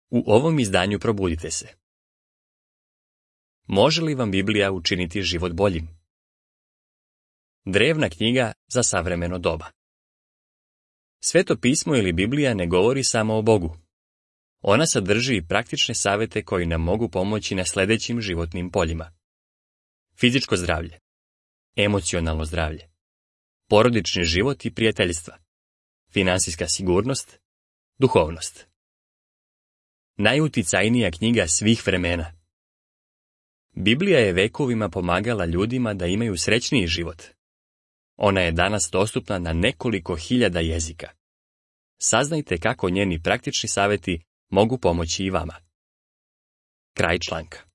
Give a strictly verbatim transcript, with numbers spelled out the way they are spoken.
U ovom izdanju probudite se. Može li vam Biblija učiniti život boljim? Drevna knjiga za savremeno doba. Sveto pismo ili Biblija ne govori samo o Bogu. Ona sadrži i praktične savjete koji nam mogu pomoći na sljedećim životnim poljima. Fizičko zdravlje, emocionalno zdravlje, porodični život i prijateljstva, financijska sigurnost, duhovnost. Najuticajnija knjiga svih vremena. Biblija je vekovima pomagala ljudima da imaju srećniji život. Ona je danas dostupna na nekoliko hiljada jezika. Saznajte kako njeni praktični savjeti mogu pomoći i vama. Kraj članka.